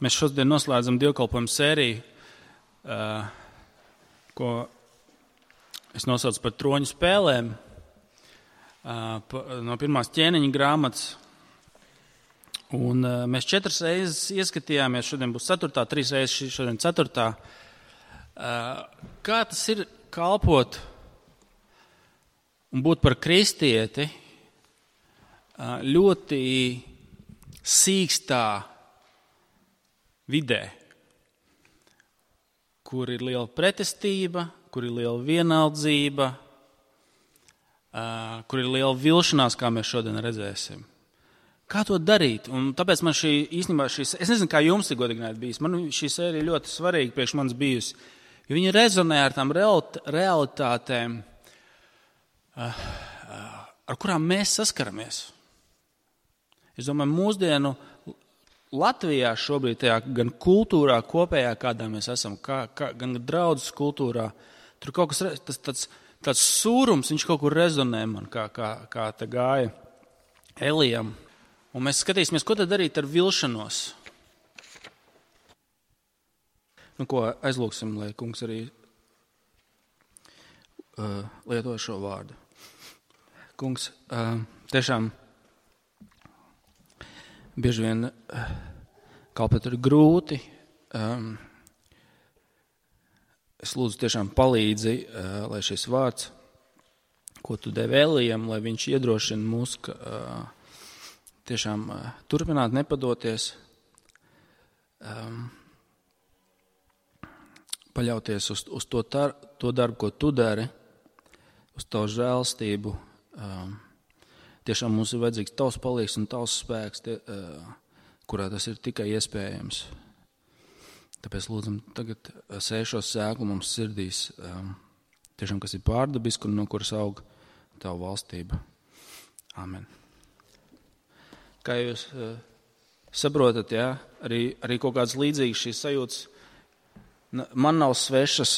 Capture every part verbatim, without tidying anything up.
Mēs šodien noslēdzam dievkalpojumu sēriju, uh, ko es nosaucu par troņu spēlēm, uh, pa, no pirmās ķēniņa grāmatas. Un uh, mēs četras reizes ieskatījāmies, šodien būs ceturtā, trīs reizes šodien ceturtā. Uh, kā tas ir kalpot un būt par kristieti uh, ļoti sīkstā vidē, kur ir liela pretestība, kur ir liela vienaldzība, uh, kur ir liela vilšanās, kā mēs šodien redzēsim. Kā to darīt? Un tāpēc man šī īstenībā, šī, es nezinu, kā jums ir godīgi bijis, man šī sērija ļoti svarīga priekš manis bijusi, jo viņi rezonē ar tām realitātēm, uh, uh, ar kurām mēs saskaramies. Es domāju, mūsdienu Latvijā šobrīd tajā gan kultūrā kopējā, kādā mēs esam, kā, kā, gan draudzes kultūrā, tur kaut kas, tas, tāds, tāds sūrums, viņš kaut kur rezonē man, kā, kā, kā te gāja Elijam. Un mēs skatīsimies, ko tad darīt ar vilšanos. Nu, ko aizlūksim, lai kungs arī uh, lieto šo vārdu. Kungs, uh, tiešām bieži vien uh, kalpot ir grūti. Um, es lūdzu tiešām palīdzi, uh, lai šis vārds, ko tu devi Elijam, lai viņš iedrošina mūs, ka uh, tiešām uh, turpināt nepadoties, um, paļauties uz, uz to, tar, to darbu, ko tu dari, uz tavu žēlstību. Um, tiešām mums ir vajadzīgs tavs palīgs un tavs spēks, tie, uh, kurā tas ir tikai iespējams. Tāpēc lūdzam tagad sēšos sēklu mums sirdīs, um, tiešām, kas ir pārdabiski un no kuras aug tavu valstība. Amen. Kā jūs uh, saprotat, jā, arī, arī kaut kāds līdzīgs šīs sajūtas man nav svešas,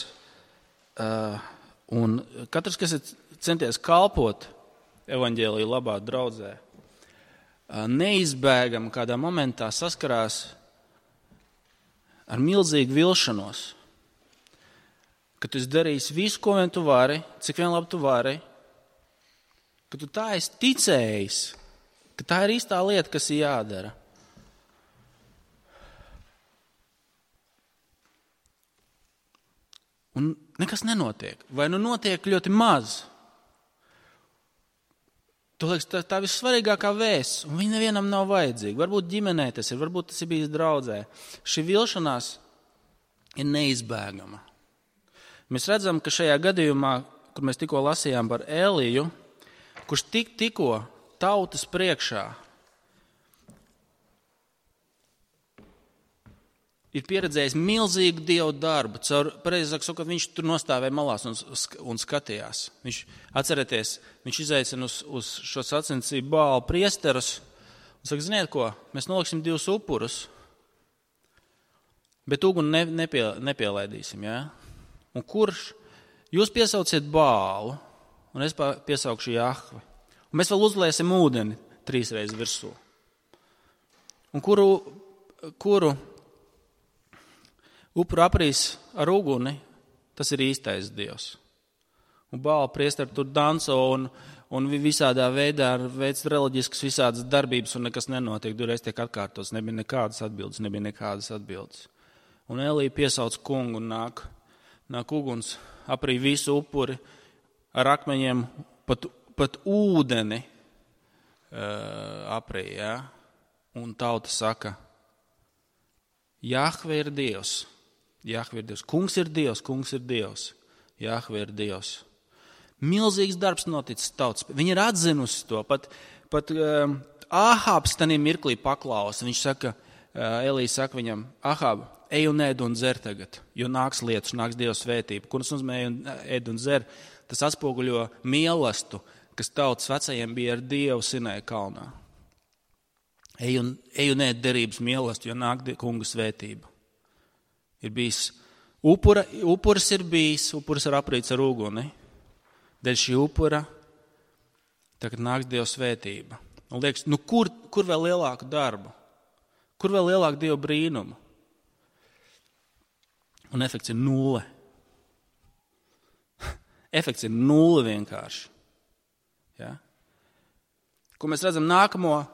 uh, un katrs, kas ir centies kalpot evaņģēliju labā draudzē, uh, neizbēgam kādā momentā saskarās ar milzīgu vilšanos, ka tu esi darījis visu, ko vien tu vari, cik vien labi tu vari, ka tu tā esi ticējis, ka tā ir īstā lieta, kas ir jādara. Un nekas nenotiek. Vai nu notiek ļoti maz. Tu liekas, tā, tā vissvarīgākā vēsts, un viņa nevienam nav vajadzīga. Varbūt ģimenē tas ir, varbūt tas ir bijis draudzē. Šī vilšanās ir neizbēgama. Mēs redzam, ka šajā gadījumā, kur mēs tikko lasījām par Eliju, kurš tik, tikko tautas priekšā ir pieredzējis milzīgu Dievu darbu. Caur, pareizāk sakot, viņš tur nostāvēja malās un, un skatījās. Viņš, atcerieties, viņš izaicina uz, uz šo sacensību Bāla priesterus un saka, ziniet ko, mēs noliksim divus upurus, bet uguni ne, nepie, nepielaidīsim, jā? Un kurš? Jūs piesauciet Bālu, un es piesaukšu Jahvi. Un mēs vēl uzliesim ūdeni trīs reizes virsū. Un kuru... kuru upuru aprīs ar uguni, tas ir īstais Dievs. Un Bāla priesteri tur danco un, un visādā veidā veic reliģiskas visādas darbības un nekas nenotiek. Durreiz tiek atkārtots, nebija nekādas atbildes, nebija nekādas atbildes. Un Elija piesauc kungu un nāk, nāk uguns, aprī visu upuri ar akmeņiem, pat, pat ūdeni uh, aprī, jā. Un tauta saka, Jahve ir Dievs. Jahve ir Dievs. Kungs ir Dievs, kungs ir Dievs. Jahve ir Dievs. Milzīgs darbs noticis tautas. Viņi ir atzinusi to. Pat, pat uh, Ahābs tanī mirklī paklausa. Viņš saka, uh, Elija saka viņam, Ahāb, ej un ēd un dzer tagad, jo nāks lietus, nāks Dieva svētība. Kur tas nozīmē ēd un dzer? Tas atspoguļo mīlestību, kas tautas vecajiem bija ar Dievu Sinai kalnā. Ej un, ej un ēd derības mīlestību, jo nāk kunga svētība. Ir bijis upura, upuris ir bijis, upuris ir aprīts ar uguni. Dēļ šī upura tagad nāks Dieva svētība. Un liekas, nu kur, kur vēl lielāku darbu? Kur vēl lielāku Dieva brīnumu? Un efekts ir nulle. Efekts ir nulle vienkārši. Ja? Ko mēs redzam nākamo uh,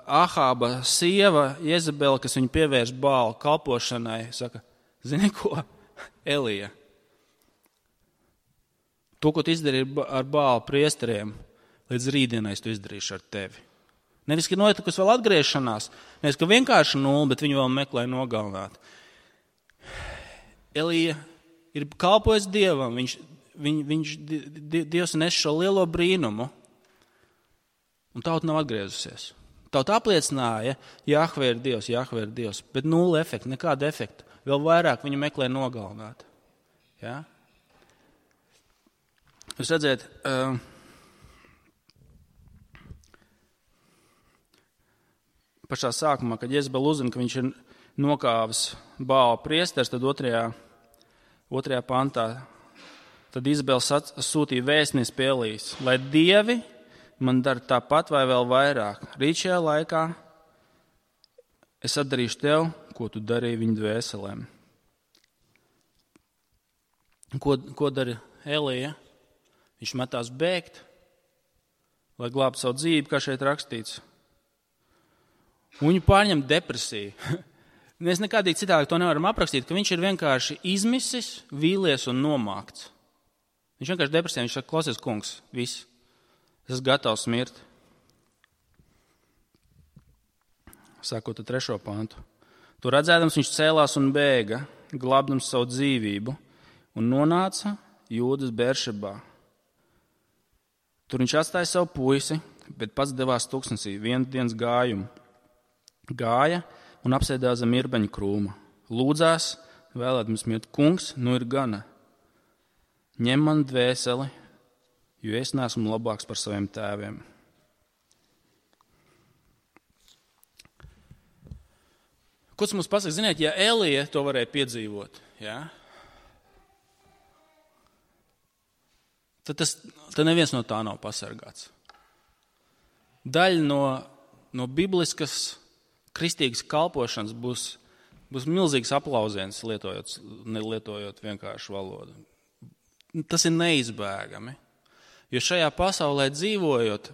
Ahāba sieva, Jezebela, kas viņu pievērš Bāla kalpošanai, saka, zini ko, Elija, to, ko tu izdarīji ar Bāla priesteriem, līdz rītdienai tu izdarīši ar tevi. Nevis, ka notikusi vēl atgriešanās, nevis, ka vienkārši nulle, bet viņu vēl meklē nogalināt. Elija ir kalpojis Dievam, viņš, viņ, viņš, Dievs nes šo lielo brīnumu, un tauta nav atgriezusies. Tauta apliecināja, Jahve ir Dievs, Jahve ir Dievs, bet nulle efekta, nekāda efekta. Vēl vairāk viņu meklē nogalināt. Ja? Jūs redzēt, uh, pašā sākumā, kad Jezebela uzzina, ka viņš ir nokāvis Bāla priesters, tad otrajā, otrajā pantā, tad Izabela sūtīja vēstnieci pie Elijas, lai dievi man dara tāpat vai vēl vairāk. Rīt šajā laikā es atdarīšu tev, ko tu darīji viņu dvēselēm. Ko, ko dara Elija? Viņš metās bēgt, lai glābtu savu dzīvi, kā šeit rakstīts. Un viņu pārņem depresija. Mēs nekādīgi citādi to nevaram aprakstīt, ka viņš ir vienkārši izmisis, vīlies un nomākts. Viņš vienkārši depresijā, viņš saka, klausies, kungs, viss, es esmu gatavs mirt. Sākot ar trešo pantu. To redzēdams, viņš cēlās un bēga, glābdams savu dzīvību, un nonāca Jūdas Beršebā. Tur viņš atstāja savu puisi, bet pats devās tuksnesī vienu dienas gājumu. Gāja un apsēdās zem irbeņu krūma. Lūdzās, vēlēdams mirt, kungs, nu ir gana. Ņem man dvēseli, jo es neesmu labāks par saviem tēviem. Ko tas mums pasaka? Ziniet, ja Elija to varēja piedzīvot, ja, tad, tas, tad neviens no tā nav pasargāts. Daļa no, no bibliskas kristīgas kalpošanas būs, būs milzīgs aplausiens, lietojot, nelietojot vienkāršu valodu. Tas ir neizbēgami. Jo šajā pasaulē dzīvojot,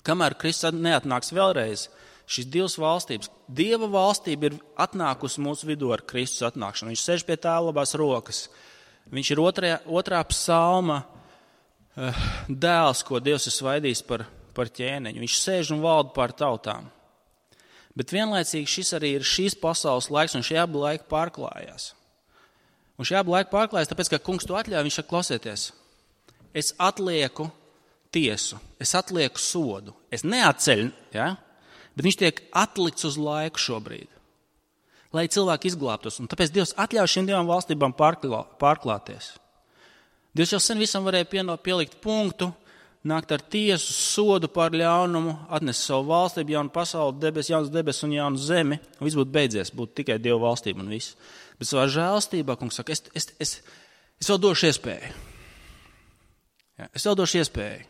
kamēr Kristus neatnāks vēlreiz, šīs divas valstības, Dieva valstība ir atnākusi mūsu vidū ar Kristus atnākšanu. Viņš sēž pie tēva labās rokas. Viņš ir otrajā, otrā psalma uh, dēls, ko Dievs ir svaidījis par, par ķēniņu. Viņš sēž un valda pār tautām. Bet vienlaicīgi šis arī ir šīs pasaules laiks, un šie abi laiki pārklājās. Un šie abi laiki pārklājās, tāpēc, ka kungs to atļauj, viņš saka, klausieties, es atlieku tiesu, es atlieku sodu, es neatceļu, ja? Bet viņš tiek atlikts uz laiku šobrīd, lai cilvēki izglābtos. Un tāpēc Dievs atļauj šīm divām valstībām pārklā, pārklāties. Dievs jau sen visam varēja pieno, pielikt punktu, nākt ar tiesu, sodu par ļaunumu, atnest savu valstību, jaunu pasauli, debes, jaunas debes un jaunu zemi, un viss būtu beidzies, būtu tikai Dieva valstība un viss. Bet savā žēlstībā, kungs saka, es, es, es, es vēl došu iespēju. Ja, es vēl došu iespēju.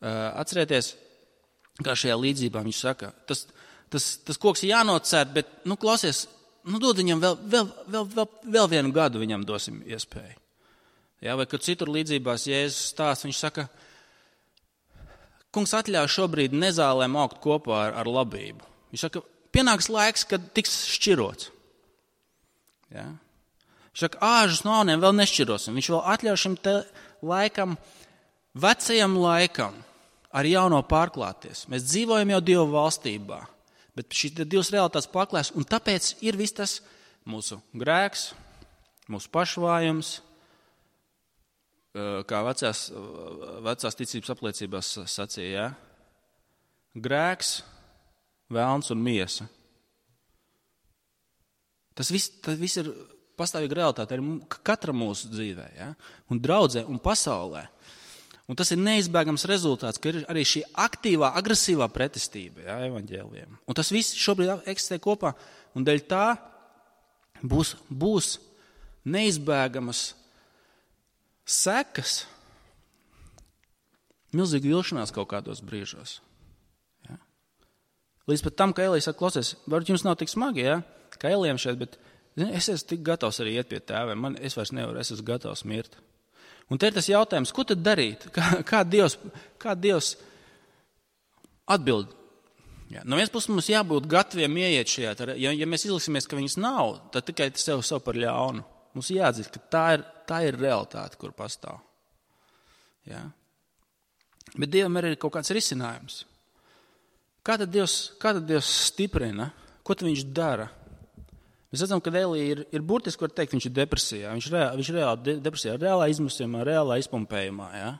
Uh, atcerieties, kā šajā līdzībā viņš saka, tas, tas, tas koks ir jānocērt, bet, nu, klausies, nu, dod viņam vēl, vēl, vēl, vēl, vēl vienu gadu viņam dosim iespēju. Ja, vai kad citur līdzībās Jēzus stāsta, viņš saka, kungs atļauj šobrīd nezālēm augt kopā ar, ar labību. Viņš saka, pienāks laiks, kad tiks šķirots. Ja? Viņš saka, āžus no auniem vēl nešķirosim. Viņš vēl atļauj šim te laikam, vecajam laikam, ar jauno pārklāties. Mēs dzīvojam jau Dieva valstībā, bet šī divas realitātes pārklājas, un tāpēc ir viss tas mūsu grēks, mūsu pašvājums, kā vecās, vecās ticības apliecībās sacīja, ja? Grēks, velns un miesa. Tas viss, tas viss ir pastāvīga realitāte arī katra mūsu dzīvē, ja? Un draudzē un pasaulē. Un tas ir neizbēgams rezultāts, ka ir arī šī aktīvā, agresīvā pretestība, ja, evaņģēlijiem. Un tas viss šobrīd eksistē kopā, un dēļ tā būs, būs neizbēgamas sekas, milzīga vilšanās kaut kādos brīžos. Ja. Līdz pat tam, ka Elija saka, klausies, varbūt jums nav tik smagi, ja, kā Elijam šeit, bet Zini, es esmu tik gatavs arī iet pie tēviem, man, es vairs nevaru, es esmu gatavs mirt. Un te ir tas jautājums, ko tad darīt? Kā, kā, Dievs, kā Dievs atbild? Ja, no vienas puses mums jābūt gataviem ieiet šajā, ja, ja mēs izliksimies, ka viņas nav, tad tikai sev, sev par ļaunu. Mums jāatzīst, ka tā ir, tā ir realitāte, kur pastāv. Ja? Bet Dievam ir arī kaut kāds risinājums. Kā tad Dievs, kā tad Dievs stiprina? Ko tad viņš dara? Mēs redzam, ka Elija ir, ir burtiski, var teikt, viņš ir depresijā. Viņš ir reāli, viņš ir reāli depresijā, reālā izmisumā, reālā izpumpējumā. Ja?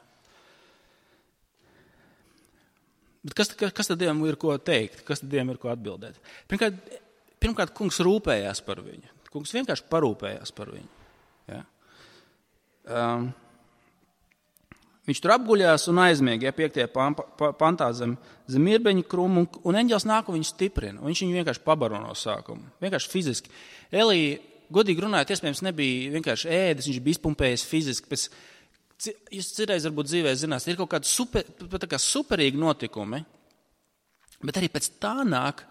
Bet kas, kas tad Dievam ir ko teikt? Kas tad Dievam ir ko atbildēt? Pirmkārt, pirmkārt kungs rūpējās par viņu. Kungs vienkārši parūpējās par viņu. Ja? Um, viņš tur apguļās un aizmiega, ja, piektajā pantā zem, zem mirbeņa krūmu, un, un eņģels nāk un viņu stiprina. Un viņš viņu vienkārši pabaro no sākuma. Vienkārši fiziski. Elija, godīgi runājot, iespējams nebija vienkārši ēdis, viņš bija izpumpējis fiziski. Pēc, jūs citreiz varbūt dzīvē zinās, ir kaut kādi super, tā kā superīgi notikumi, bet arī pēc tā nāk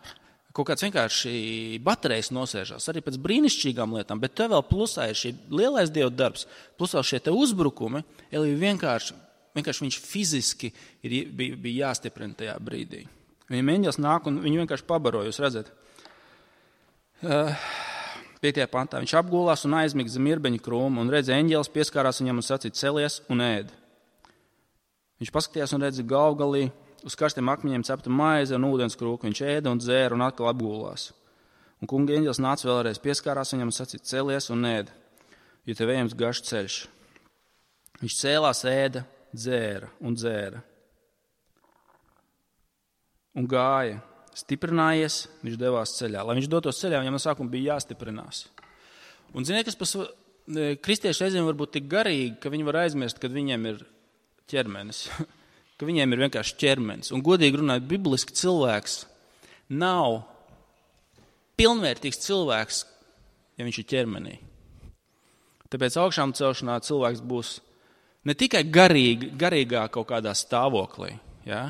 kaut kāds vienkārši baterijas nosēžās, arī pēc brīnišķīgām lietām, bet te vēl plusā ir šī lielais Dieva darbs, plusā šie te uzbrukumi, Elija vienkārši, vienkārši viņš fiziski ir, bija, bija jāstiprina tajā brīdī. Viņam eņģels nāk un viņu vienkārši pabaro, jūs redzat. Uh, piektajā pantā viņš apgulās un aizmiga zem mirbeņa krūma un redz, eņģelis pieskārās viņam un sacīja celies un ēd. Viņš paskatījās un redz galvgalī uz karstiem akmeņiem cepta maize un ūdens krūku. Viņš ēda un dzēra un atkal apgulās. Un kunga eņģelis nāca vēlreiz, pieskārās viņam un sacīja celies un ēd, jo tev ejams garš ceļš. Viņš cēlās, ēda, dzēra un dzēra. Un gāja. Stiprinājies, viņš devās ceļā. Lai viņš dotos ceļā, viņam no sākuma bija jāstiprinās. Un ziniet, kas pas, kristieši reizēm var būt tik garīgi, ka viņi var aizmirst, kad viņiem ir ķermenis. Ka viņiem ir vienkārši ķermenis. Un godīgi runājot, bibliski cilvēks nav pilnvērtīgs cilvēks, ja viņš ir ķermenī. Tāpēc augšām celšanā cilvēks būs ne tikai garīgi, garīgā kaut kādā stāvoklī, ja?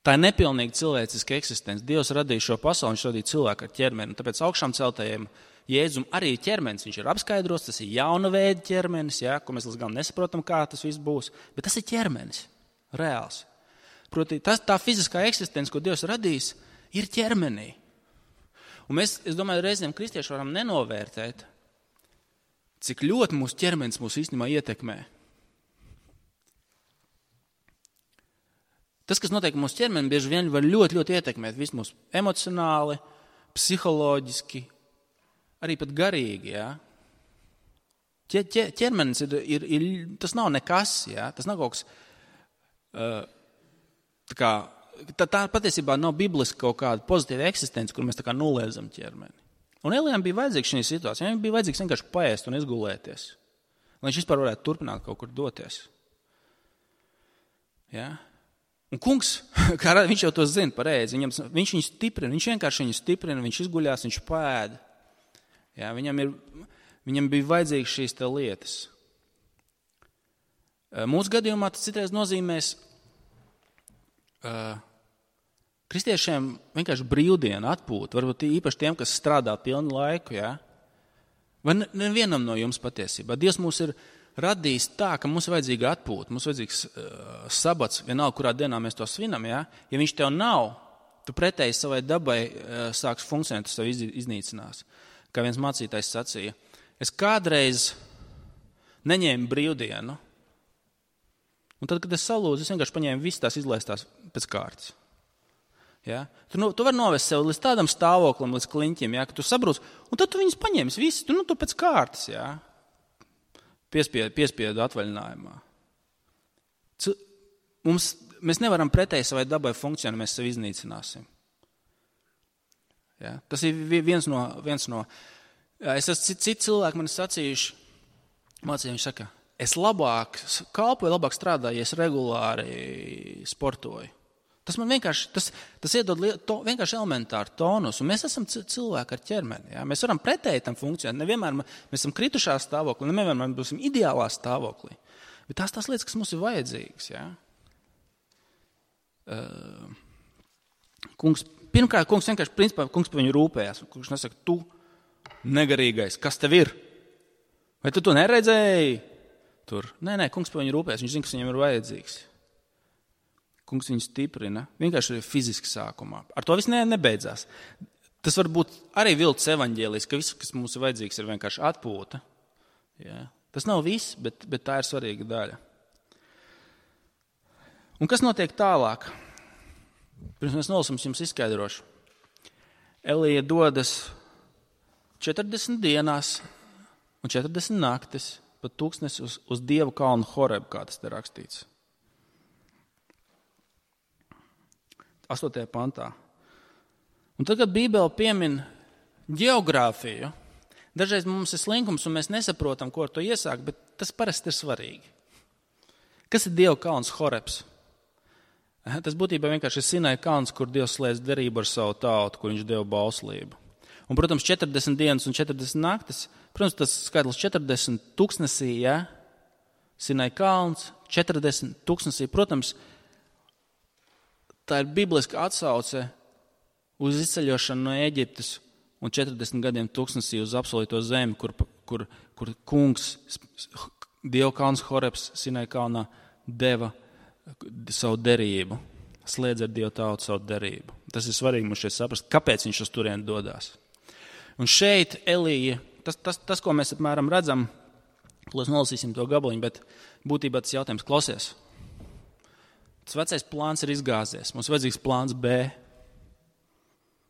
Tā ir nepilnīga cilvēciska eksistence. Dievs radīja šo pasauli, viņš radīja cilvēku ar ķermeni. Tāpēc augšām celtajiem Jēzum arī ķermenis. Viņš ir apskaidrots, tas ir jauna veida ķermenis, ja, ko mēs līdz galam nesaprotam, kā tas viss būs. Bet tas ir ķermenis, reāls. Proti, tas, tā fiziskā eksistence, ko Dievs radījis, ir ķermenī. Un mēs, es domāju, reizēm kristieši varam nenovērtēt, cik ļoti mūsu ķermenis mūs īstenībā ietekmē. Tas, kas notiek mūsu ķermeni, bieži vien var ļoti, ļoti ietekmēt visu mūsu emocionāli, psiholoģiski, arī pat garīgi. Ja? Ķermenis ir, ir, ir, tas nav nekas, ja? Tas nav kaut kas, uh, tā kā, tā, tā patiesībā nav bibliski kaut kāda pozitīva eksistence, kur mēs tā kā noliedzam ķermeni. Un Elijam bija vajadzīgs šī situācija, viņam bija vajadzīgs vienkārši paēst un izgulēties, lai viņš vispār varētu turpināt kaut kur doties. Ja? Un kungs, kā viņš jau to zina pareizi, viņam, viņš viņu stiprina, viņš vienkārši viņu stiprina, viņš izguļās, viņš pēda. Jā, viņam, ir, viņam bija vajadzīgas šīs te lietas. Mūsu gadījumā tas citreiz nozīmēs uh, kristiešiem vienkārši brīvdienu atpūt, varbūt īpaši tiem, kas strādā pilnu laiku, jā. Vai nevienam no jums patiesībā. Dievs mūs ir radījis tā, ka mums ir vajadzīga atpūta, mums ir vajadzīgs uh, sabats, vienalga, kurā dienā mēs to svinam, ja? Ja viņš tev nav, tu pretēji savai dabai uh, sāks funkcionēt, tu sev iz, iznīcinās. Kā viens mācītājs sacīja, es kādreiz neņēmu brīvdienu, un tad, kad es salūdzu, es vienkārši paņēmu visas tās izlaistās pēc kārtas. Ja? Tu, nu, tu vari novest sev līdz tādam stāvoklim, līdz kliņķim, ja? Ka tu sabrūc, un tad tu viņus paņēmis visas, tu, nu, tu pēc kārtas, ja? Piespiedu, piespiedu atvaļinājumā. C- mums, mēs nevaram pretēji savai dabai funkcionēt, mēs sevi iznīcināsim. Ja? Tas ir viens no, viens no es esmu citi cit cilvēki man sacījuši, mācīja, viņš saka, es labāk kalpoju, labāk strādāju, ja es regulāri sportoju. Tas man vienkārši, tas, tas iedod to, vienkārši elementāru tonus, un mēs esam cilvēki ar ķermeni. Ja? Mēs varam pretēji tam funkcionēt. Nevienmēr mēs esam kritušā stāvoklī, nevienmēr mēs būsim ideālā stāvoklī. Bet tās tās lietas, kas mums ir vajadzīgas. Ja? Uh, kungs, pirmkārt, kungs vienkārši principā kungs par viņu rūpējās. Kungs nesaka, tu negarīgais, kas tev ir? Vai tu to neredzēji? Tur. Nē, nē, kungs par viņu rūpēs, viņš zina, kas viņam ir vajadzīgs. Kungs viņu stiprina, vienkārši fiziski sākumā. Ar to viss ne, nebeidzās. Tas var būt arī viltus evaņģēlijs, ka viss, kas mums ir vajadzīgs, ir vienkārši atpūta. Ja? Tas nav viss, bet, bet tā ir svarīga daļa. Un kas notiek tālāk? Pirms mēs nolasam, jums izskaidrošu. Elija dodas četrdesmit dienās un četrdesmit naktis pa tūkstnesi uz, uz Dievu kalnu Horebu, kā tas te rakstīts. astotajā pantā. Un tad, kad Bībele piemin ģeogrāfiju, dažreiz mums ir slinkums un mēs nesaprotam, ko ar to iesākt, bet tas parasti ir svarīgi. Kas ir Dieva kalns Horebs? Tas būtībā vienkārši ir Sinai kalns, kur Dievs slēdz derību ar savu tautu, kur viņš deva bauslību. Un, protams, četrdesmit dienas un četrdesmit naktis, protams, tas skaitlis četrdesmit tūkstnesī, ja? Sinai kalns, četrdesmit tūkstnesī, protams, tā ir bibliska atsauce uz izceļošanu no Ēģiptes un četrdesmit gadiem tūkstnesī uz apsolīto zemi, kur, kur, kur kungs, Dieva kalns Horebs, Sinai kalnā, deva savu derību, slēdz ar Dievu tautu savu derību. Tas ir svarīgi mums šeit saprast, kāpēc viņš uz turieni dodās. Un šeit Elija, tas, tas, tas ko mēs apmēram redzam, klūs nolasīsim to gabaliņu, bet būtībā tas jautājums klausies. Tas vecais plāns ir izgāzies. Mums ir vajadzīgs plāns B.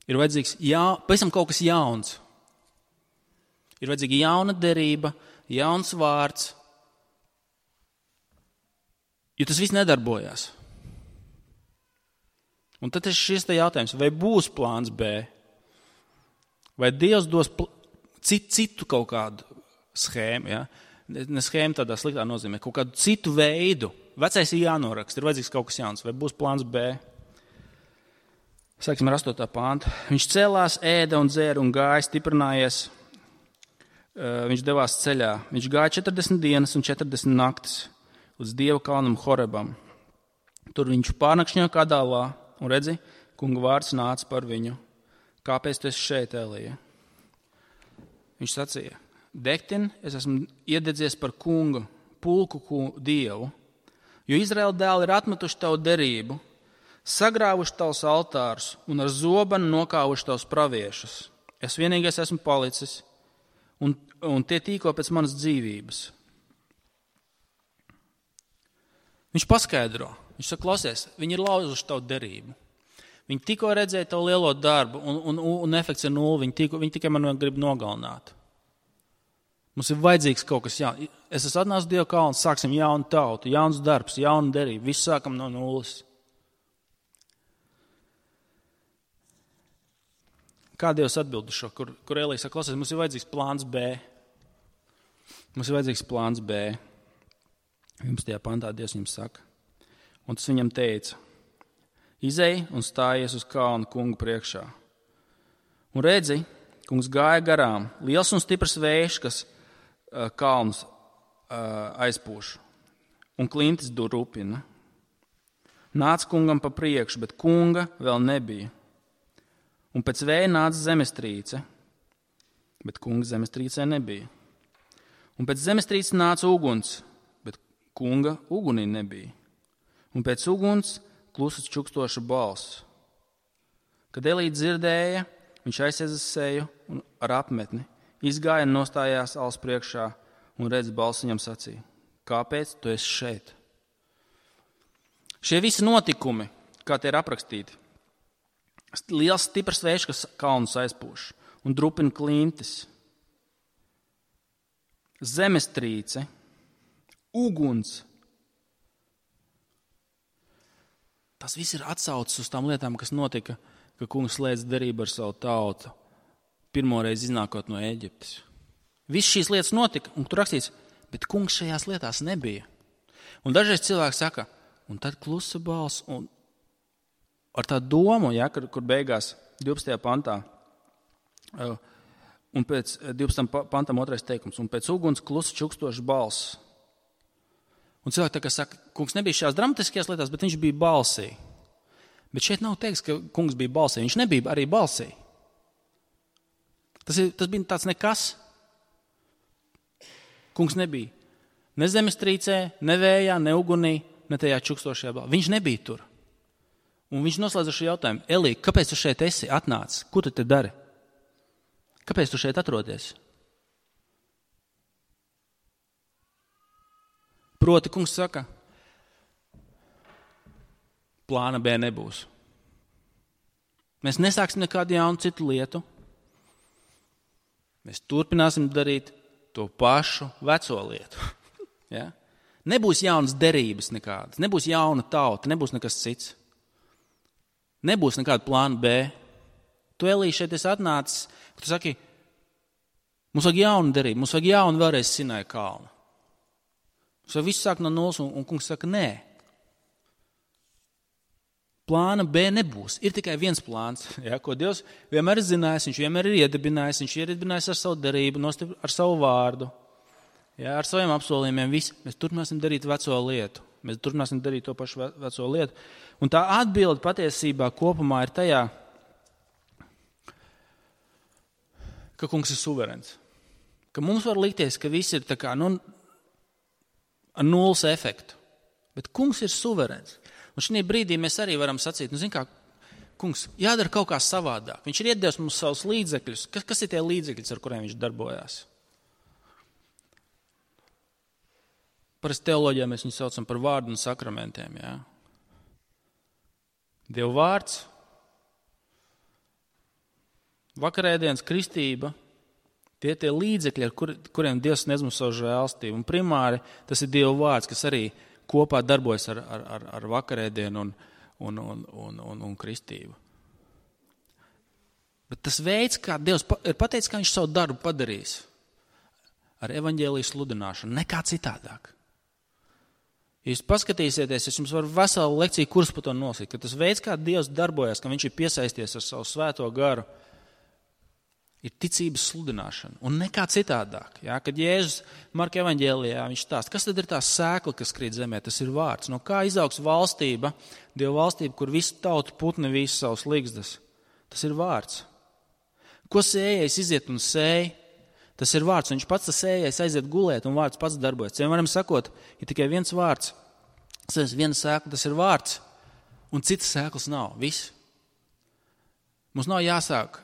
Ir vajadzīgs jā, pavisam kaut kas jauns. Ir vajadzīga jauna derība, jauns vārds. Jo tas viss nedarbojās. Un tad ir šis te jautājums, vai būs plāns B? Vai Dievs dos pl- citu, citu kaut kādu schēmu, ja? Ne schēmu tādā sliktā nozīmē, kaut kādu citu veidu. Vecais ir jānoraksta, ir vajadzīgs kaut kas jauns, vai būs plāns B? Sāksim ar astotā pānta. Viņš cēlās, ēda un dzēra un gāja, stiprinājies. Viņš devās ceļā. Viņš gāja četrdesmit dienas un četrdesmit naktis uz Dieva kalnam Horebam. Tur viņš pārnakšņoja Kadālā un redzi, kunga vārds nāca par viņu. Kāpēc tu esi šeit, Elija? Viņš sacīja, Dektin, es esmu iededzies par kungu, pulku kungu Dievu, jo Izraēla dēli ir atmetuši tavu derību, sagrāvuši tavus altārus un ar zobenu nokāvuši tavus praviešus. Es vienīgais esmu palicis, un, un tie tīko pēc manas dzīvības. Viņš paskaidro, viņš saka, klausies, viņi ir lauzuši tavu derību. Viņi tikko redzēja tavu lielo darbu, un, un, un efekts ir nulli, viņi, tiko, viņi tikai man grib nogalināt. Mums ir vajadzīgs kaut kas jauns. Es esmu atnācis Dieva kalnu, sāksim jaunu tautu, jauns darbs, jaunu derību, visu sākam no nulles. Kā Dievs atbild uz šo, kur, kur Elija saka, klausies, mums ir vajadzīgs plāns B. Mums ir vajadzīgs plāns B. Jums tajā pantā Dievs jums saka. Un tas viņam teica, izej un stājies uz kalnu kungu priekšā. Un redzi, kungs gāja garām, liels un stiprs vējš, kas uh, kalnus uh, aizpūš, un klintis durupina. Nāca kungam pa priekšu, bet kunga vēl nebija. Un pēc vēja nāca zemestrīce, bet kunga zemestrīcē nebija. Un pēc zemestrīces nāca uguns, bet kunga ugunī nebija. Un pēc uguns klusas čukstoša balss. Kad Elija dzirdēja, viņš aizies seju un ar apmetni, izgāja un nostājās alas priekšā un redz balss viņam sacīja, kāpēc tu esi šeit? Šie visi notikumi, kā tie ir aprakstīti, liels stiprs vējš, kas kalnus aizpūš un drupina klintis, zemestrīce, uguns. Tas viss ir atsaucis uz tām lietām, kas notika, ka kungs slēdz derību ar savu tautu, pirmoreiz iznākot no Ēģiptes. Viss šīs lietas notika, un tur rakstīts, bet kungs šajās lietās nebija. Un dažreiz cilvēki saka, un tad klusa balss, un ar tā domu, ja, kur, kur beigās divpadsmitajā pantā, un pēc divpadsmitajam pantam otrais teikums, un pēc uguns klusa čukstošs balss. Un cilvēki tā kā saka, kungs nebija šajās dramatiskajās lietās, bet viņš bija balsī. Bet šeit nav teiks, ka kungs bija balsī. Viņš nebija arī balsī. Tas, ir, tas bija tāds nekas. Kungs nebija ne zemestrīcē, ne vējā, ne ugunī, ne tajā čukstošajā balā. Viņš nebija tur. Un viņš noslēdza šo jautājumu. Elī, kāpēc tu šeit esi atnācis? Ko tu te dari? Kāpēc tu šeit atrodies? Proti, kungs saka, plāna B nebūs. Mēs nesāksim nekādu jaunu citu lietu. Mēs turpināsim darīt to pašu veco lietu. Ja? Nebūs jaunas derības nekādas, nebūs jauna tauta, nebūs nekas cits. Nebūs nekāda plāna B. Tu, Elī, šeit esi atnācis, ka tu saki, mums vajag jaunu derību, mums vajag jaunu vēlreiz Sinaja kalnu. Mums vajag visu sākt no nulles, un, un kungs saka, nē. Plāna B nebūs. Ir tikai viens plāns, ja, ko Dievs vienmēr ir zinājis, viņš vienmēr ir iedibinājis, viņš ir iedibinājis ar savu darību, ar savu vārdu, ja, ar saviem apsolījumiem. Visi. Mēs turpināsim darīt veco lietu. Mēs turpināsim darīt to pašu veco lietu. Un tā atbilde patiesībā kopumā ir tajā, ka kungs ir suverēns. Ka mums var likties, ka viss ir tā kā, nu, ar nulles efektu. Bet kungs ir suverēns. Un šī brīdī mēs arī varam sacīt, nu, zin kā, kungs, jādara kaut kā savādāk. Viņš ir iedevis mums savus līdzekļus. Kas, kas ir tie līdzekļus, ar kuriem viņš darbojās? Parasti teoloģijā mēs viņu saucam par vārdu un sakramentiem. Jā. Dieva vārds, vakarēdienas kristība, tie tie līdzekļi, ar kur, kuriem Dievs sniedz mums savu žēlstību. Un primāri tas ir Dieva vārds, kas arī kopā darbojas ar, ar, ar, ar vakarēdienu un, un, un, un, un, un kristību. Bet tas veids, kā Dievs ir pateicis, kā viņš savu darbu padarīs ar evaņģēliju sludināšanu, nekā citādāk. Ja jūs paskatīsieties, es jums varu veselu lekciju kursu par to nosīt, ka tas veids, kā Dievs darbojas, ka viņš ir piesaisties ar savu svēto garu, ir ticības sludināšana un nekā citādāk. Ja? Kad Jēzus Marka evaņģēlijā viņš stāsta, kas tad ir tā sēkla, kas krīt zemē, tas ir vārds. No kā izaugs valstība, Dieva valstība, kur visu tautu putni visu savus ligzdas? Tas ir vārds. Ko sējais iziet un sēj? Tas ir vārds. Viņš pats tas sējais aiziet gulēt un vārds pats darbojas. Ciem varam sakot, ir tikai viens vārds. Tas viena sēkla, tas ir vārds. Un citas sēklas nav. Viss. Mums nav jāsāk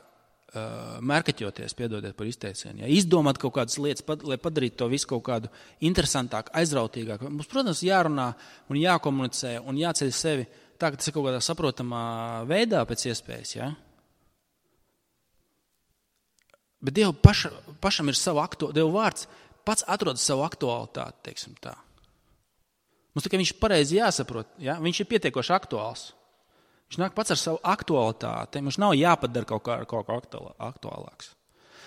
mērkaķoties, piedodiet par izteicienu, ja, izdomāt kaut kādas lietas, lai padarītu to visu kaut kādu interesantāku, aizrautīgāku. Mums, protams, jārunā un jākomunicē un jāceļ sevi tā, ka tas ir kaut kādā saprotamā veidā pēc iespējas. Ja. Bet Dievu paša, pašam ir savu aktuālitāti, Dievu vārds pats atrod savu aktualitāti, teiksim tā. Mums tikai viņš pareizi jāsaprot, ja, viņš ir pietiekoši aktuāls. Viņš nāk pats ar savu aktualitāti. Mums nav jāpadara kaut kā, kaut kā aktuālāks.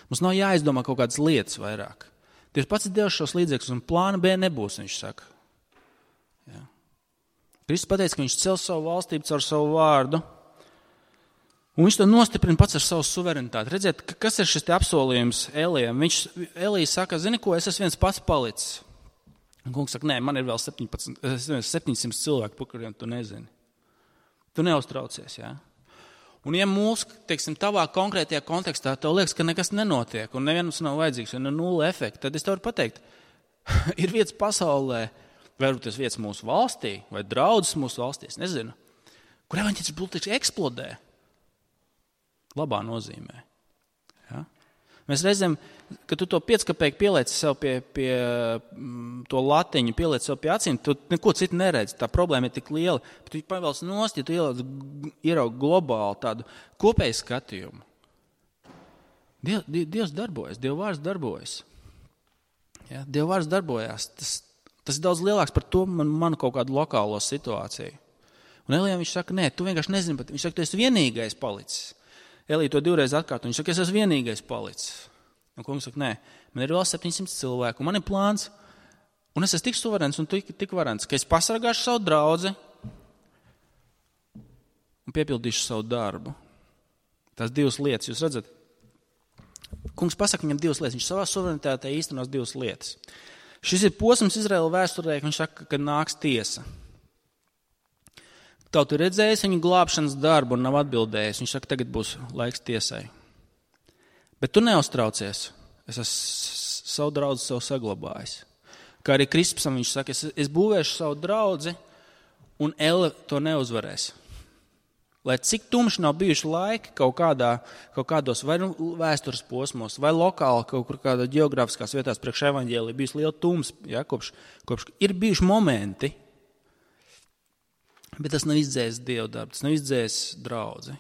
Mums nav jāizdomā kaut kādas lietas vairāk. Dievs pats ir devis šos līdzekļus, un plāna B nebūs, viņš saka. Jā. Kristus pateica, ka viņš cels savu valstību caur savu vārdu, un viņš to nostiprina pats ar savu suverenitāti. Redziet, kas ir šis te apsolījums Elijam? Viņš, Elija saka, zini ko, es esmu viens pats palicis. Un kungs saka, nē, man ir vēl septiņpadsmit, septiņsimt cilvēki, par kuriem tu nezini. Tu neuztraucies, jā. Un ja mūsu, teiksim, tavā konkrētajā kontekstā tev liekas, ka nekas nenotiek un nevienam nav vajadzīgs un ir nulle efekta, tad es tev varu pateikt, ir vietas pasaulē, varbūt tas vietas mūsu valstī vai draudzes mūsu valstī, es nezinu, kur evaņģēlis burtiski eksplodē. Labā nozīmē. Ja? Mēs reizēm, kad tu to piecskapēku pielieci sev pie, pie to latiņu, pielieci sev pie acīm, tu neko citu neredzi. Tā problēma ir tik liela, bet tu pavēlas nost, ja tu ieraugi globāli tādu kopēju skatījumu. Diev, Dievs darbojas, Dieva vārds darbojas. Ja? Dieva vārds darbojas. Tas, tas ir daudz lielāks par to man, manu kaut kādu lokālo situāciju. Un Elijam viņš saka, nē, tu vienkārši nezini, bet viņš saka, tu esi vienīgais palicis. Elija to divreiz atkārto. Viņš saka, es esmu vienīgais palicis. Un kungs saka, nē, man ir vēl septiņsimt cilvēku, un man ir plāns, un es esmu tik suverēns un tik, tik varens, ka es pasargāšu savu draudzi un piepildīšu savu darbu. Tās divas lietas, jūs redzat? Kungs pasaka viņam divas lietas, viņš savā suverenitātē īstenos divas lietas. Šis ir posms Izraēla vēsturē, ka viņš saka, ka nāks tiesa. Tauta ir redzējis viņu glābšanas darbu un nav atbildējis. Viņš saka, tagad būs laiks tiesai. Bet tu neuztraucies. Es esmu savu draudzi sev saglabājis. Kā arī Krispsam viņš saka, es, es būvēšu savu draudzi, un Elle to neuzvarēs. Lai cik tumši nav bijuši laiki kaut, kādā, kaut kādos vai nu vēstures posmos, vai lokāli kaut kur kādā ģeogrāfiskās vietās priekš evaņģēlija bijis liela tums, ja, kopš, kopš ir bijuši momenti, bet tas nav izdzējis Dievu darbu, tas nav izdzējis draudzi.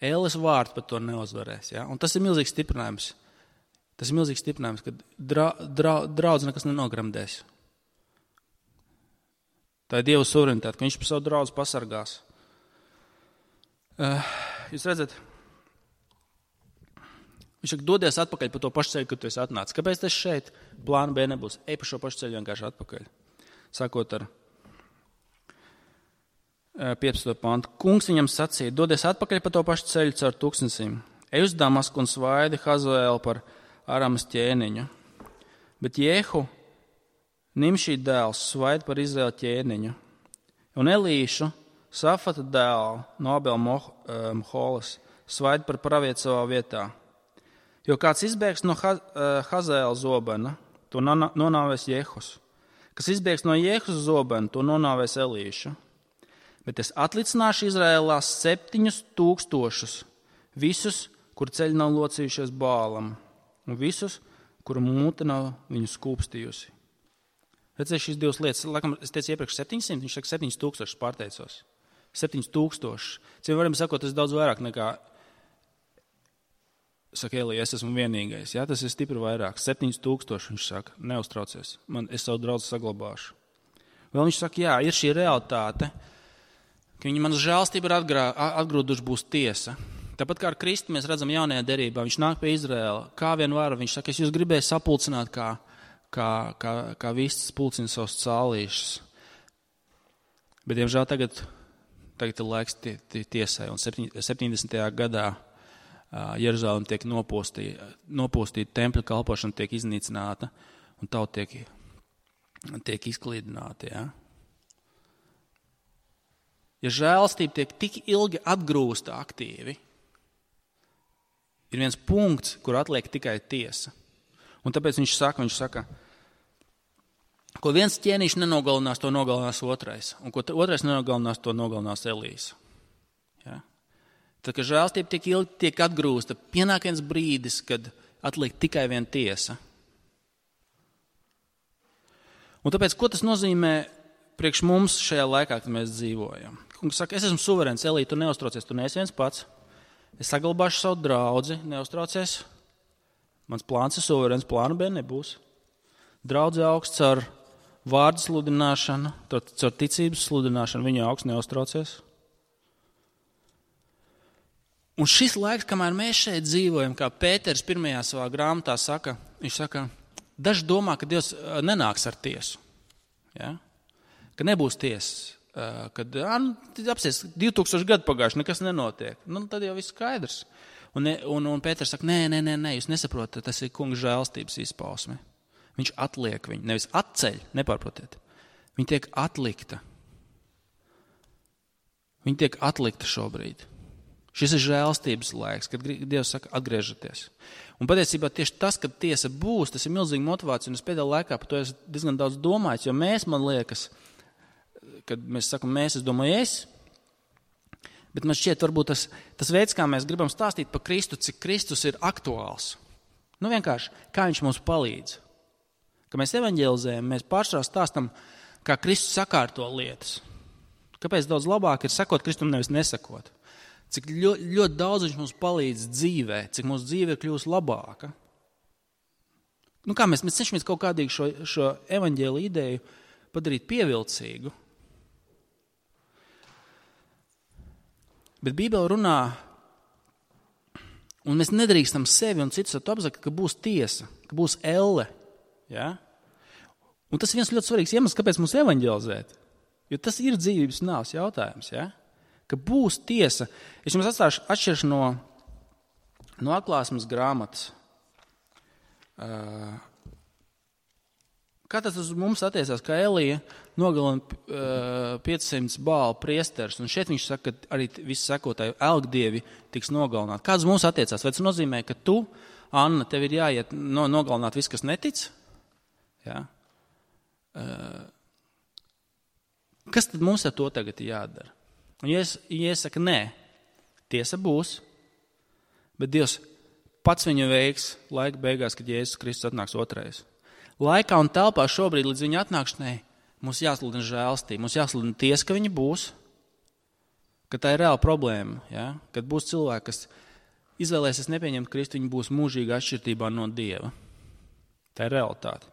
Ēles vārds par to neuzvarēs. Ja? Un tas ir milzīgs stiprinājums. Tas ir milzīgs stiprinājums, ka dra, dra, draudzi nekas nenogramdēs. Tā ir Dieva suverenitāte, ka viņš par savu draudzi pasargās. Uh, jūs redzat, viņš saka, dodies atpakaļ pa to pašu ceļu, kad tu esi atnācis. Kāpēc tas šeit? Plāna B nebūs. Ej pa šo pašu ceļu vienkārši atpakaļ. Sākot ar piecpadsmito pantu. Kungs viņam sacīja, dodies atpakaļ pa to pašu ceļu caur tūkstnesīm. Ej uz Damasku un svaidi Hazaēlu par Aramas ķēniņu. Bet Jehu, Nimšī dēls, svaidi par Izraēla ķēniņu. Un Elīšu, Safata dēlu no Abela Moholas, svaidi par pravietu savā vietā. Jo kāds izbēgs no Hazaēla zobena, to nonāvēs Jehus. Kas izbēgs no Jehus zobena, to nonāvēs Elīšu. Bet es atlicināšu Izraēlā septiņus tūkstošus, visus, kur ceļi nav locījušies Bālam, un visus, kuru mūte nav viņu skūpstījusi. Redzēju šīs divas lietas. Laikam, es teicu iepriekš septiņsimt, viņš saka septiņus tūkstošus pārteicos. septiņus tūkstošus. Ciem varam sakot, tas ir daudz vairāk nekā, saka Elija, es esmu vienīgais. Jā, tas ir stipri vairāk. septiņus tūkstošus, viņš saka, neuztraucies. Man, es savu draudzi saglabāšu. Vēl viņš saka, jā, ir šī realitāte, ka viņi manas žēlstība ir atgrā, atgrūduši būs tiesa. Tāpat kā ar Kristu mēs redzam jaunajā derībā, viņš nāk pie Izraēla, kā vien var, viņš saka, es jūs gribēju sapulcināt, kā, kā, kā, kā vistas pulcina savus cālīšus. Bet, diemžēl, tagad, tagad ir laiks tie, tie, tiesai, un septiņdesmitajā gadā Jeruzalem tiek nopostī, nopostīt, tempļa kalpošana tiek iznīcināta, un tauta tiek, tiek izklīdināta, ja? Ja žēlastība tiek tik ilgi atgrūsta aktīvi, ir viens punkts, kur atliek tikai tiesa. Un tāpēc viņš saka, viņš saka, ko viens ķēniņš nenogalinās, to nogalinās otrais. Un ko otrais nenogalinās, to nogalinās Elijas. Ja? Tad, kad žēlastība tiek ilgi tiek atgrūsta, pienāk viens brīdis, kad atliek tikai viena tiesa. Un tāpēc, ko tas nozīmē priekš mums šajā laikā, kad mēs dzīvojam? Kungs saka, es esmu suverēns, Elija, tu neuztraucies, tu neesi viens pats. Es saglabāšu savu draudzi, neuztraucies. Mans plāns ir suverēns, plāna B nebūs. Draudzi augsts ar vārdu sludināšanu, caur ticības sludināšanu, viņa augsts, neuztraucies. Un šis laiks, kamēr mēs šeit dzīvojam, kā Pēters pirmajā savā grāmatā saka, viņš saka, daži domā, ka Dievs nenāks ar tiesu. Ja? Ka nebūs tiesas. Kad nu, apsies divi tūkstoši gadu pagājuši, nekas nenotiek. Nu, tad jau viss skaidrs. Un, un, un Pēters saka, nē, nē, nē, nē, jūs nesaprotat, tas ir kunga žēlstības izpausme. Viņš atliek viņu, nevis atceļ, nepārprotiet. Viņa tiek atlikta. Viņa tiek atlikta šobrīd. Šis ir žēlstības laiks, kad Dievs saka, atgriežaties. Un patiesībā tieši tas, kad tiesa būs, tas ir milzīga motivācija, un es pēdējā laikā par to esmu diezgan daudz domājis, jo mēs, man liekas, kad mēs sakam mēs, es domāju es, bet man šķiet varbūt tas, tas veids, kā mēs gribam stāstīt par Kristu, cik Kristus ir aktuāls. Nu vienkārši, kā viņš mums palīdz. Kad mēs evaņģelizējam, mēs pārsvarā stāstam, kā Kristus sakārto lietas. Kāpēc daudz labāk ir sakot Kristum, nevis nesakot. Cik ļoti, ļoti daudz viņš mums palīdz dzīvē, cik mūsu dzīve ir kļūst labāka. Nu kā mēs, mēs cenšamies kaut kādīgi šo, šo evaņģēli ideju padarīt pievilcīgu. Bet Bībele runā, un mēs nedrīkstam sevi un citus apzakt, ka būs tiesa, ka būs elle. Ja? Un tas ir viens ļoti svarīgs iemesls, kāpēc mums evaņģelizēt. Jo tas ir dzīvības nāves jautājums. Ja? Ka būs tiesa. Es jums atstāšu atšķiršu no, no atklāsmes grāmatas. Uh, Kā tas uz mums attiecās, kā Elija nogalina uh, piecsimt bālu priesters, un šeit viņš saka, ka arī visi sekotāji elgdievi tiks nogalināti. Kāds mums attiecās? Vai tas nozīmē, ka tu, Anna, tev ir jāiet no, nogalināt viss, kas netic? Jā. Uh, kas tad mums ar to tagad ir jādara? Un ja es, ja es saku, nē, tiesa būs, bet Dievs pats viņu veiks laika beigās, kad Jēzus Kristus atnāks otrais. Laikā un telpā šobrīd līdz viņa atnākšanai mums jāsludina žēlstība, mums jāsludina tiesa, ka viņa būs, ka tā ir reāla problēma, ja? Kad būs cilvēki, kas izvēlēsies nepieņemt Kristu, viņi būs mūžīgi atšķirtībā no Dieva. Tā ir realitāte.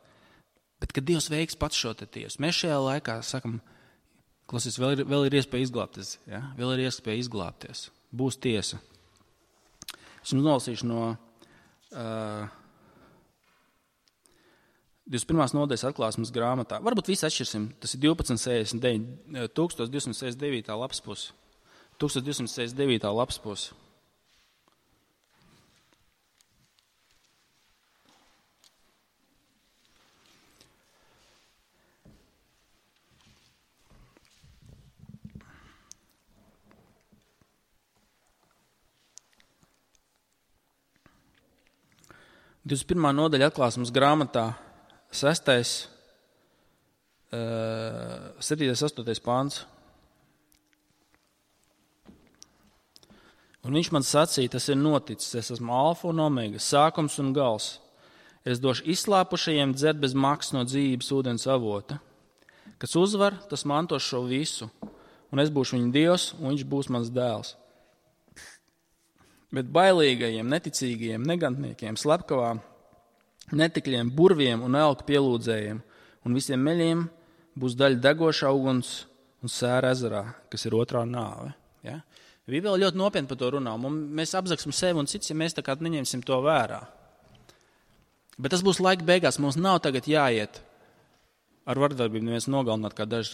Bet, kad Dievs veiks pats šo te tiesu, mēs šajā laikā sakam, klausies, vēl ir, vēl ir iespēja izglābties. Ja? Vēl ir iespēja izglābties. Būs tiesa. Es jums nolasīšu no uh, divdesmit pirmās nodaļas atklāsmes grāmatā. Varbūt visi atšķirsim. Tas ir divpadsmit sešdesmit deviņi, tūkstoš divsimt sešdesmit devītā lapas puse. tūkstoš divsimt sešdesmit devītā lapas puse. divdesmit pirmā nodaļa atklāsmes grāmatā, sestais, septītais, astotais pāns. Un viņš man sacīja, tas ir noticis, es esmu alfa un omega, sākums un gals. Es došu izslāpušajiem dzert bez maksas no dzīvības ūdens avota. Kas uzvar, tas mantos šo visu, un es būšu viņa Dievs, un viņš būs mans dēls. Bet bailīgajiem, neticīgajiem, negantniekiem, slepkavām, netikļiem, burviem un elku pielūdzējiem un visiem meļiem būs daļa degošā uguns un sēra ezerā, kas ir otrā nāve. Ja? Bībele ļoti nopietni par to runā, un mēs apzaksim sevi un cits, ja mēs tā kā neņemsim to vērā. Bet tas būs laika beigās, mums nav tagad jāiet ar vardarbību neviens nogalināt, kā dažas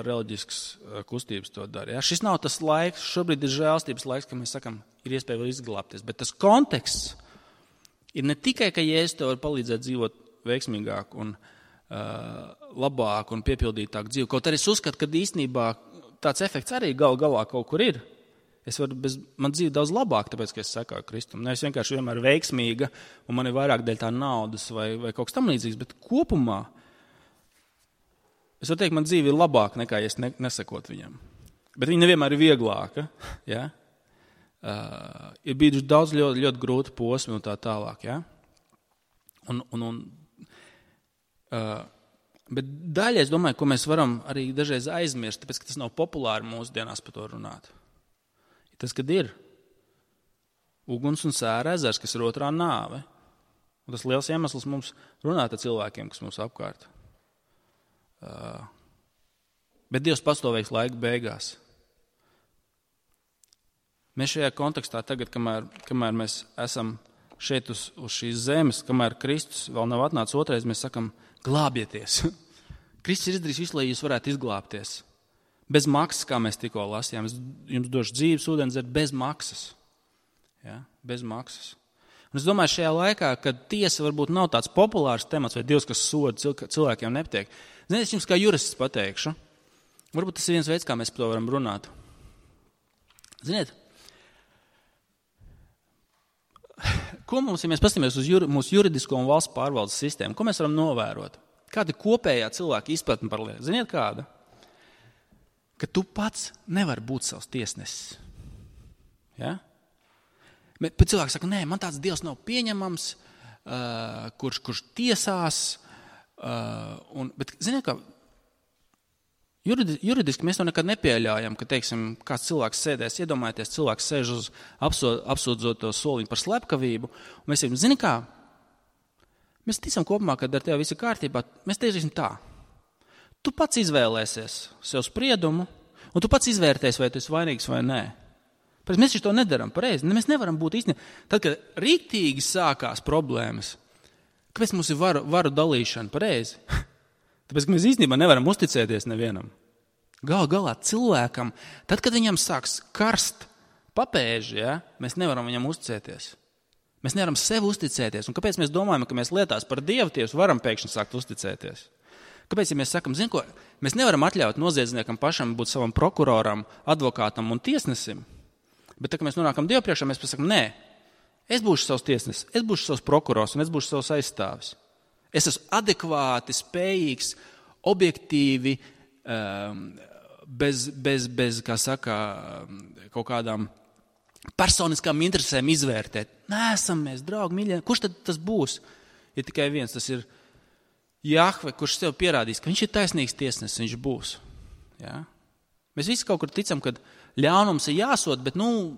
reliģiskas kustības to dara. Ja? Šis nav tas laiks, šobrīd ir žēlstības laiks, ka mēs sakam, ir iespēja vēl izglābties. Bet tas konteksts ir ne tikai, ka Jēzus tev var palīdzēt dzīvot veiksmīgāk un uh, labāk un piepildītāk dzīvi. Kaut arī es uzskatu, ka īstenībā tāds efekts arī gal galā kaut kur ir. Es varu bez, man dzīve daudz labāk, tāpēc, ka es sekāju Kristum. Nevis vienkārši vienmēr veiksmīga un man ir vairāk dēļ tā naudas vai, vai kaut kas tam līdzīgs, bet kopumā es varu teikt, man dzīve ir labāka nekā, ja es ne, nesakot viņam. Bet viņa nevienmēr ir vieglāka. Ja? Uh, ir bijuši daudz ļoti, ļoti grūti posmi un tā tālāk. Ja? Un, un, un, uh, bet daļai es domāju, ko mēs varam arī dažreiz aizmirst, tāpēc, ka tas nav populāri mūsdienās par to runāt. Tas, kad ir uguns un sēra ezers, kas ir otrā nāve. Un tas liels iemesls mums runāt ar cilvēkiem, kas mums apkārt. Uh, bet Dievs pastāvēs laika beigās. Mēs šajā kontekstā tagad, kamēr, kamēr mēs esam šeit uz, uz šīs zemes, kamēr Kristus vēl nav atnācis otrais, mēs sakam, glābieties. Kristus ir izdarījis visu, lai jūs varētu izglābties. Bez maksas, kā mēs tikko lasījām. Es jums došu dzīves ūdeni dzert bez maksas. Ja? Bez maksas. Un es domāju, šajā laikā, kad tiesa varbūt nav tāds populārs temats, vai Dievs, kas soda cilvēkiem nepatiek. Ziniet, es jums kā jurists pateikšu. Varbūt tas ir viens veids, kā mēs par to varam runāt. Ziniet, ko mums, ja mēs paskatāmies uz juri, mūsu juridisko un valsts pārvaldes sistēmu, ko mēs varam novērot? Kāda ir kopējā cilvēka izpratne par lietu? Ziniet, kāda? Ka tu pats nevari būt savs tiesnesis. Ja? Bet, bet cilvēki saka, nē, man tāds Dievs nav pieņemams, uh, kurš, kurš tiesās. Uh, un, bet, ziniet, kā, juridi, juridiski mēs to nekad nepieļaujam, ka, teiksim, kāds cilvēks sēdēs, iedomājieties, cilvēks sēž uz apsūdzoto soliņu par slepkavību, un mēs sakām, zini kā, mēs ticam kopumā, kad ar tevi viss ir kārtībā, mēs teiksim tā. Tu pats izvēlēsies sev spriedumu, un tu pats izvērtēsi, vai tu esi vainīgs vai nē. Pēc mēs to nedaram pareizi. Mēs nevaram būt īstenībā. Tad, kad rīktīgi sākās problēmas, kāpēc mums ir varu, varu dalīšana pareizi? Tāpēc, ka mēs īstenībā nevaram uzticēties nevienam. Gal galā cilvēkam, tad, kad viņam sāks karst papēži, ja, mēs nevaram viņam uzticēties. Mēs nevaram sev uzticēties. Un kāpēc mēs domājam, ka mēs lietās par Dievu tiesu varam pēkšņi sākt uzticēties? Kāpēc, ja mēs sakam, zin ko, mēs nevaram atļaut noziedzniekam pašam būt savam prokuroram, advokātam un tiesnesim, bet tā, ka mēs nonākam Dievu priekšā, mēs pasakam, nē, es būšu savs tiesnesis, es būšu savs prokurors un es būšu savs aizstāvis. Es esmu adekvāti, spējīgs, objektīvi, bez, bez, bez kā saka, kaut kādām personiskām interesēm izvērtēt. Nē, esam mēs, draugi, mīļie. Kurš tad tas būs? Ir tikai viens, tas ir Jahve, kurš sev pierādīs, ka viņš ir taisnīgs tiesnesis, viņš būs. Ja? Mēs visi kaut kur ticam, ka ļaunums ir jāsod, bet nu,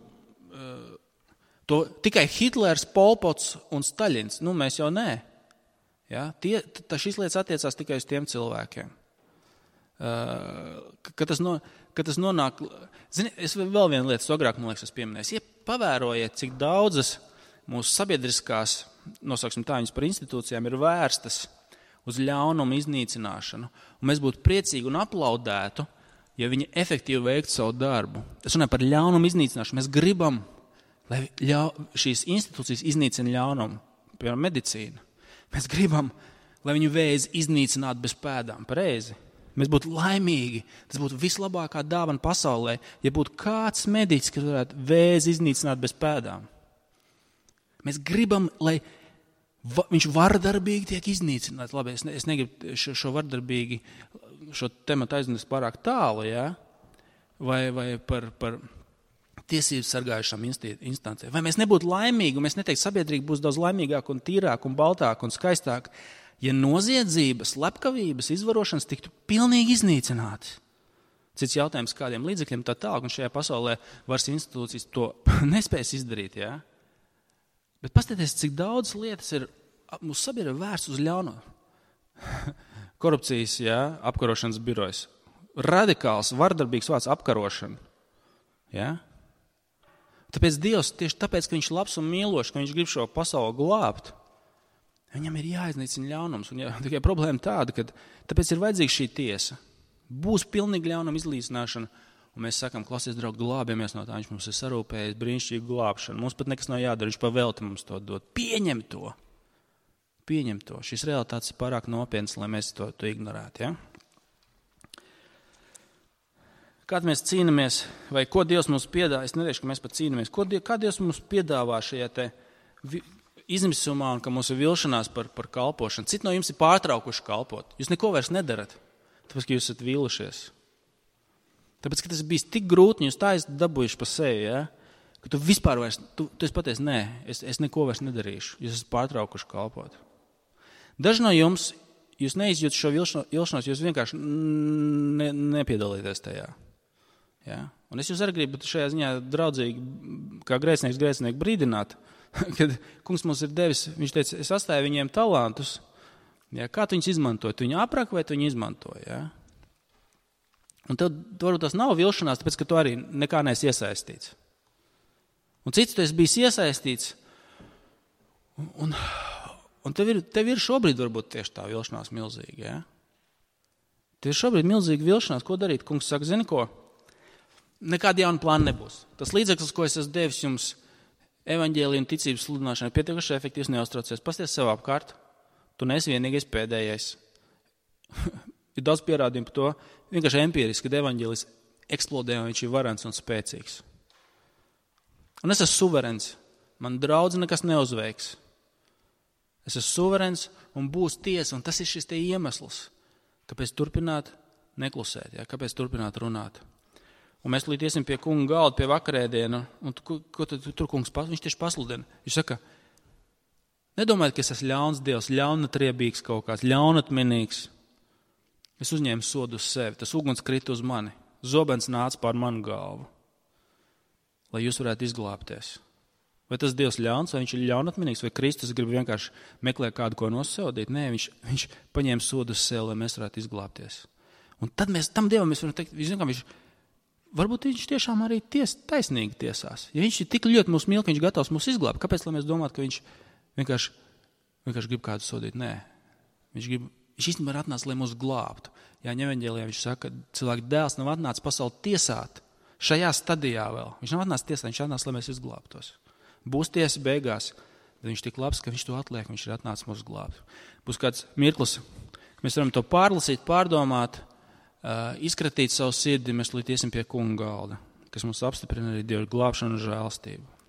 to tikai Hitlers, Pol Pots un Staļins, nu mēs jau nē. Ja? Tie, tā šīs lietas attiecās tikai uz tiem cilvēkiem. Kad tas, no, kad tas nonāk, zini, es vēl vienu lietu, agrāk, man liekas, es pieminēju. Ja pavērojiet, cik daudzas mūsu sabiedriskās, nosauksim tā, viņas par institūcijām, ir vērstas uz ļaunumu iznīcināšanu, un mēs būtu priecīgi un aplaudētu, ja viņi efektīvi veiktu savu darbu. Es runāju par ļaunumu iznīcināšanu. Mēs gribam, lai ļau, šīs institūcijas iznīcina ļaunumu, piemēram, medicīna. Mēs gribam, lai viņu vēzi iznīcinātu bez pēdām, pareizi. Mēs būtu laimīgi, tas būtu vislabākā dāvana pasaulē, ja būtu kāds mediķis, kas varētu vēzi iznīcināt bez pēdām. Mēs gribam, lai va, viņš vardarbīgi tiek iznīcināts. Labi, es, ne, es negribu šo, šo vardarbīgi, šo tematu aiznest pārāk tālu, ja? vai, vai par, par tiesības sargājušām instancēm. Vai mēs nebūtu laimīgi, un mēs neteiktu, sabiedrība būs daudz laimīgāk un tīrāk un baltāk un skaistāk, ja noziedzības, slepkavības, izvarošanas tiktu pilnīgi iznīcinātas. Cits jautājums, kādiem līdzekļiem tā tālāk, un šajā pasaulē varas institūcijas to nespējas izdarīt. Ja? Bet paskatieties, cik daudz lietas ir mūsu sabiedrība vērsts uz ļauno. Korupcijas, ja, apkarošanas birojas. Radikāls, vardarbīgs vārds apkarošana. Ja? Tāpēc Dievs, tieši tāpēc, ka viņš labs un mīlošs, ka viņš grib šo pasauli glābt, viņam ir jāiznīcina ļaunums. Un jā, tikai problēma tāda, ka tāpēc ir vajadzīga šī tiesa. Būs pilnīgi ļaunuma izlīdzināšana, un mēs sakam, klausies, draugi, glābjamies no tā, viņš mums ir sarūpējis brīnišķīgu glābšanu. Mums pat nekas nav jādara, viņš pavelti mums to dod. Pieņem to. Pieņem to. Šis realitātes ir pārāk nopietns, lai mēs to, to ignorētu. Ja? Kād mēs cīnamies, vai ko Dievs mums piedāvā, es neteikšu, ka mēs pat cīnamies, ko Dievs, kā Dievs mums piedāvā šajā te izmisumā un ka mums ir vilšanās par, par kalpošanu. Citi no jums ir pārtraukuši kalpot. Jūs neko vairs nedarat, tāpēc, ka jūs esat vīlušies. Tāpēc, ka tas ir bijis tik grūti, jūs tā esat dabūjuši pa sevi, ja? Ka tu vispār vairs, tu, tu esi paties, nē, es, es neko vairs nedarīšu. Jūs esat pārtraukuši kalpot. Daži no jums, jūs neizjūtat šo vilšanos, jūs vienkārši ne, nepiedalīties tajā. Ja? Un es jūs arī gribu šajā ziņā draudzīgi, kā grēcinieks grēcinieku brīdināt, kad kungs mums ir devis, viņš teica, es atstāju viņiem talantus, ja, kā tu viņus izmantoji, tu viņu apraki vai tu viņu izmantoji, ja? Un tev varbūt tas nav vilšanās, tāpēc, ka tu arī nekā neesi iesaistīts. Un cits tu esi bijis iesaistīts, un, un, un tev, ir, tev ir šobrīd varbūt tieši tā vilšanās milzīga, ja? Tev ir šobrīd milzīga vilšanās, ko darīt? Kungs saka, zini ko? Nekāda jauna plāna nebūs. Tas līdzeklis, ko es esmu devis jums, evaņģēlija un ticības sludināšana ir pietiekuši efektīvs, neuztraucies. Pasties sev apkārt, tu neesi vienīgais pēdējais. Ir daudz pierādījumu par to, vienkārši empiriski, kad evaņģēlis eksplodē un viņš ir varens un spēcīgs. Un es esmu suverens, man draudz nekas neuzveiks. Es esmu suverens un būs tiesa, un tas ir šis te iemesls, kāpēc turpināt neklusēt, ja? Kāpēc turpināt runāt. Un mēs līdz iesim pie kunga galda, pie vakarēdiena, un ko, ko tad tur kungs, viņš tieši pasludina. Viņš saka, nedomājiet, ka es esmu ļauns Dievs, ļaunatriebīgs kaut kāds, ļaunatminīgs. Es uzņēmu sodu uz sevi, tas uguns krita uz mani, zobens nāca pār manu galvu, lai jūs varētu izglābties. Vai tas Dievs ļauns, vai viņš ir ļaunatminīgs, vai Kristus grib vienkārši meklēt kādu, ko nosodīt? Nē, viņš, viņš paņēma sodu uz sevi, lai mēs varētu izglābties. Un tad mēs tam Dievam mēs varam teikt, viņš, viņš varbūt viņš tiešām arī ties, taisnīgi tiesās. Ja viņš ir tik ļoti mūs mīl, ka viņš gatavs mūs izglābt, kāpēc, lai mēs domātu, ka viņš vienkārši, vienkārši grib kādu sodīt? Nē. Viņš, grib, viņš īstenībā ir atnācis, lai mūs glābtu. Jāņa evaņģēlijā viņš saka, ka cilvēka dēls nav atnācis pasauli tiesāt. Šajā stadijā vēl. Viņš nav atnācis tiesāt, viņš atnācis, lai mēs izglābtos. Būs tiesa beigās. Bet viņš tik labs, ka viņš to atliek, viņš ir atnācis mūsu glābt. Būs kāds mirklis, mēs varam to pārlasīt, pārdomāt, uh, izkratīt savu sirdi, mēs līdz iesim pie kunga galda, kas mums apstiprina arī Dieva glābšanu un žēlstību.